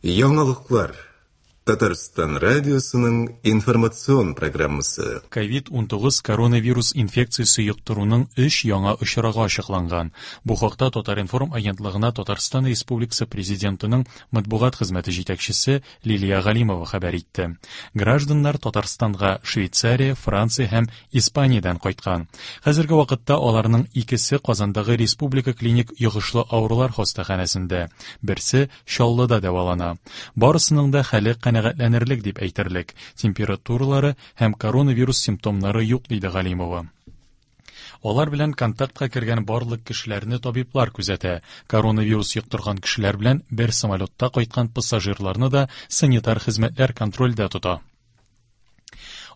Яңалыклар. Татарстан радиосының информацион программасы. Ковид-19 коронавирус инфекциясе йоктыруның өч яңа очрагы ачыкланган. Бу хакта Татар-информ агентлыгына Татарстан Республикасы Президентының матбугат хезмәте җитәкчесе Лилия Галимова хәбәр итте. Гражданнар Татарстанга Швейцария, Франция һәм Испаниядән кайткан. Хәзерге вакытта аларның икесе Казандагы Республика клиник йогышлы авырулар хастаханәсендә, берсе Чаллыда дәвалана. Барысының да хәле канәгатьләнерлек дип әйтерлек, температуралары һәм коронавирус симптомнары юк, диде Галимова. Алар белән контактка кергән барлык кешеләрне табиблар күзәтә. Коронавирус йоктырган кешеләр белән бер самолетта кайткан пассажирларны да санитар хезмәтләр контрольдә тота.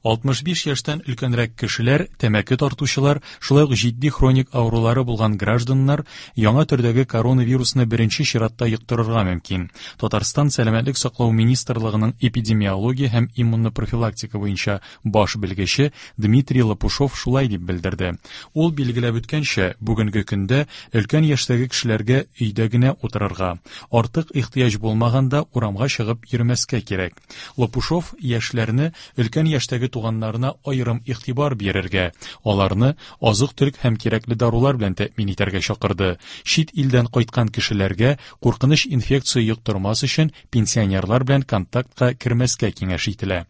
65 яшьтән өлкәнрәк кешеләр, тәмәке тартучылар, шулай ук җитди хроник авырулары булган гражданнар яңа төрдәге коронавирусны беренче чиратта йоктырырга мөмкин. Татарстан Сәламәтлек саклау министрлыгының эпидемиология һәм иммунопрофилактика буенча баш белгече Дмитрий Лопушов шулай дип белдерде. Ул билгеләп үткәнчә, бүгенге көндә өлкән яшьтәге кешеләргә өйдә генә утырырга, артык ихтыяҗ булмаганда урамга чыгып йөрмәскә кирәк. Лопушов яшьләрне өлкән яшьтәге туганнарына аерым игътибар бирергә, аларны азык-төлек һәм кирәкле дарулар белән тәэмин итәргә чакырды. Чит илдән кайткан кешеләргә куркыныч инфекция йоктырмас өчен пенсионерлар белән контактка кермәскә киңәш ителә.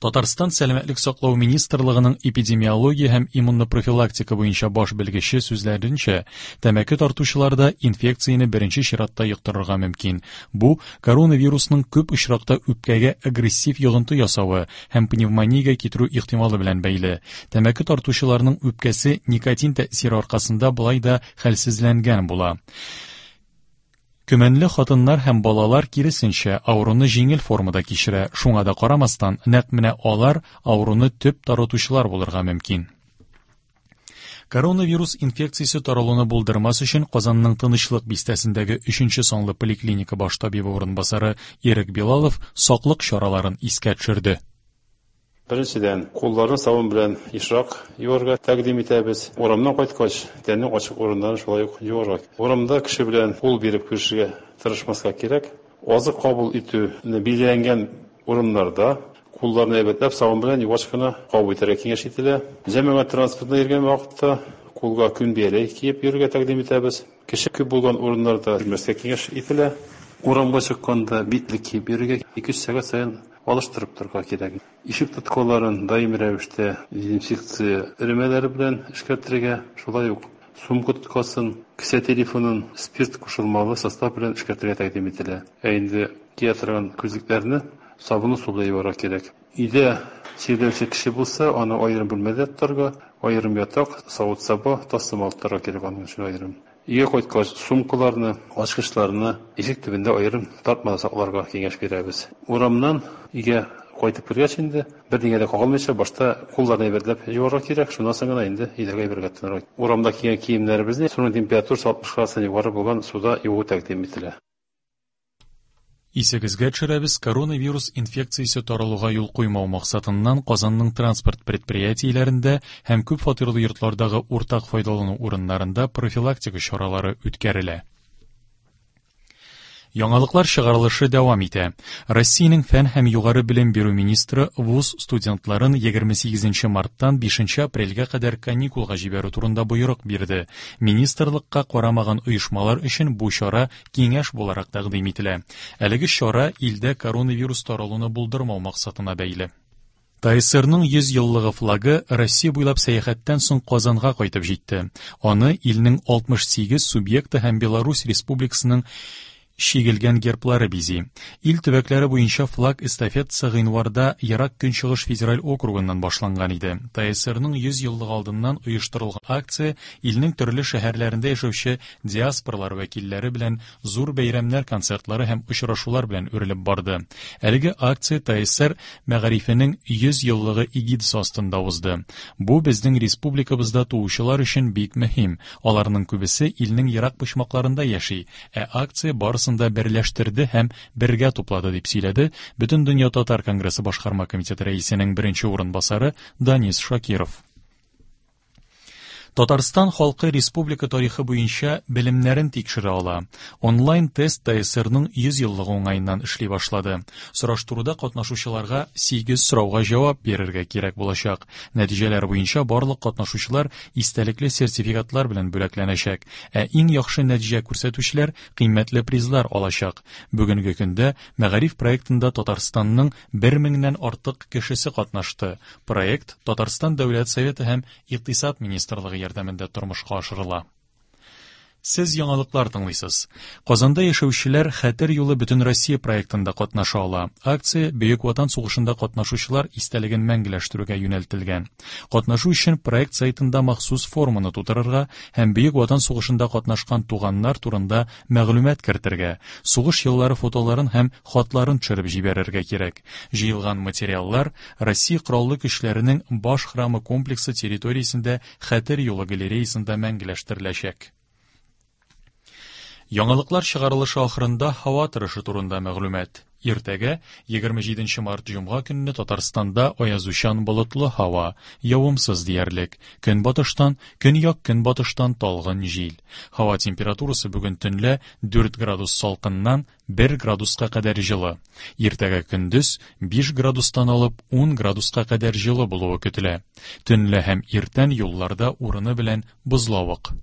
Татарстан Сәламәтлек саклау министрлыгының эпидемиология һәм иммунопрофилактика буенча баш белгече сүзләренчә, тәмәке тартучылар да инфекцияне беренче чиратта йоктырырга мөмкин. Бу коронавирусның күп очракта үпкәгә агрессив йогынты ясавы һәм пневмониягә китерү ихтималы белән бәйле. Тәмәке тартучыларның үпкәсе никотин тәэсире аркасында болай да хәлсезләнгән була. Көмәнле хатыннар һәм балалар, киресенчә, авыруны җиңел формада кичерә, шуңа да карамастан, нәкъ менә алар авыруны төп таратучылар булырга мөмкин. Коронавирус инфекциясе таралуны булдырмас өчен Казанның Тынычлык бистәсендәге 3 санлы поликлиника баш табибы урынбасары Ирек Билалов саклык чараларын искә төшерде. Беренчедән, кулларны сабын белән ешрак юарга тәкъдим итәбез. Урамнан кайткач, тәннең ачык урыннарын шулай ук юарга. Урамда кеше белән кул биреп күрешергә тырышмаска кирәк. Азык кабул итүне билгеләнгән урыннарда кулларны әйбәтләп сабын белән югач кына кабул итәргә киңәш ителә. Җәмәгать транспортында йөргән вакытта кулга күн бияләй киеп йөрергә тәкъдим итәбез. Кеше күп булган урыннарда йөрмәскә киңәш ителә. Урамга чыкканда битлек киеп йөрергә, ике-өч сәгать саен алыштырып торырга кирәк. Ишек тоткаларын даими рәвештә дезинфекция эремәләре белән эшкәртергә, шулай ук сумка тоткасын, кесә телефонын спирт кушылмалы состав белән эшкәртергә тәкъдим ителә. Ә инде кия торган күзлекләрне сабынлы су белән юарга кирәк. Өйдә чирләүче кеше булса, аны аерым бүлмәдә тотарга, аерым ятак, савыт-саба, тастымал тотарга кирәк аның өчен аерым. Өйгә кайткач, сумкаларны, ачкычларны ишек төбендә аерым тартмада сакларга киңәш бирәбез. Урамнан өйгә кайтып кергәч инде, бернигә дә кагылмыйча, башта кулларны әйбәтләп юарга кирәк, шуннан соң гына инде өйдәге әйбергә тотынырга. Урамда кигән киемнәребезне суның температурасы 60 градустан югары булган суда юу тәкъдим ителә. Исегезгә төшерәбез, коронавирус инфекциясе таралуга юл куймау максатыннан Казанның транспорт предприятиеләрендә һәм күп фатирлы йортлардагы уртак файдалану урыннарында профилактика чаралары үткәрелә. Яңалыклар чыгарылышы дәвам итә. Россиянең фән һәм югары белем бирү министры вуз студентларын 28 марттан 5 апрельгә кадәр каникулга җибәрү турында боерык бирде. Министрлыкка карамаган оешмалар өчен бу чара киңәш буларак тәкъдим ителә. Әлеге чара илдә коронавирус таралуны булдырмау максатына бәйле. ТАССРның 100 еллыгы флагы Россия буйлап сәяхәттән соң Казанга кайтып җитте. Аны илнең 68 субъекты һәм Беларусь Республикасының чигелгән герблары бизи. Ил төбәкләре буенча флаг эстафетасы гыйнварда Ерак Көнчыгыш федераль округыннан башланган иде. ТАССРның 100 еллыгы алдыннан оештырылган акция илнең төрле шәһәрләрендә яшәүче диаспоралар вәкилләре белән зур бәйрәмнәр концертлары һәм очрашулар белән үрелеп барды. Әлеге акция ТАССР мәгарифенең 100 еллыгы эгидасы астында узды. Бу безнең республикабызда туучылар өчен бик мөһим. Аларның күбесе илнең ерак почмакларында яши, ә акция барысын да берләштерде һәм бергә туплады, дип сөйләде Бөтендөнья татар конгрессы башкарма комитеты рәисенең беренче урынбасары Данис Шакиров. Татарстан халкы республика тарихы буенча белемнәрен тикшерә ала. Онлайн-тест ТСРның 100 еллыгы уңаеннан эшли башлады. Сораштыруда катнашучыларга 8 сорауга җавап бирергә кирәк булачак. Нәтиҗәләр буенча барлык катнашучылар истәлекле сертификатлар белән бүләкләнәчәк, ә иң яхшы нәтиҗә күрсәтүчеләр кыйммәтле призлар алачак. Бүгенге көндә Мәгариф проектында Татарстанның 1 меңнән артык кешесе катнашты. Проект Татарстан Дәүләт Советы һәм Икътисад министрлыгы ярдәмендә тормышка ашырыла. Сез яңалыклар тыңлыйсыз. Казанда яшәүчеләр Хәтер юлы Бөтенроссия проектында катнаша ала. Акция Бөек Ватан сугышында катнашучылар истәлеген мәңгеләштерүгә юнәлтелгән. Катнашу өчен проект сайтында махсус форманы тутырырга һәм Бөек Ватан сугышында катнашкан туганнар турында мәгълүмат кертергә, сугыш еллары фотоларын һәм хатларын төшереп җибәрергә кирәк. Җыелган материаллар Россия Кораллы Көчләренең Баш храмы комплексы территориясендә Хәтер юлы галереясында мәңгеләштереләчәк. Яңалыклар чыгарылышы ахырында һава торышы турында мәгълүмат. Иртәгә, 27 март җомга көнне Татарстанда аязучан болытлы һава, явымсыз диярлек. Көнбатыштан, көньяк-көнбатыштан талгын җил. Һава температурасы бүген төнлә 4 градус салкыннан 1 градуска кадәр җылы. Иртәгә көндез 5 градустан алып 10 градуска кадәр җылы булуы көтелә. Төнлә һәм иртән юлларда урыны белән бозлавык.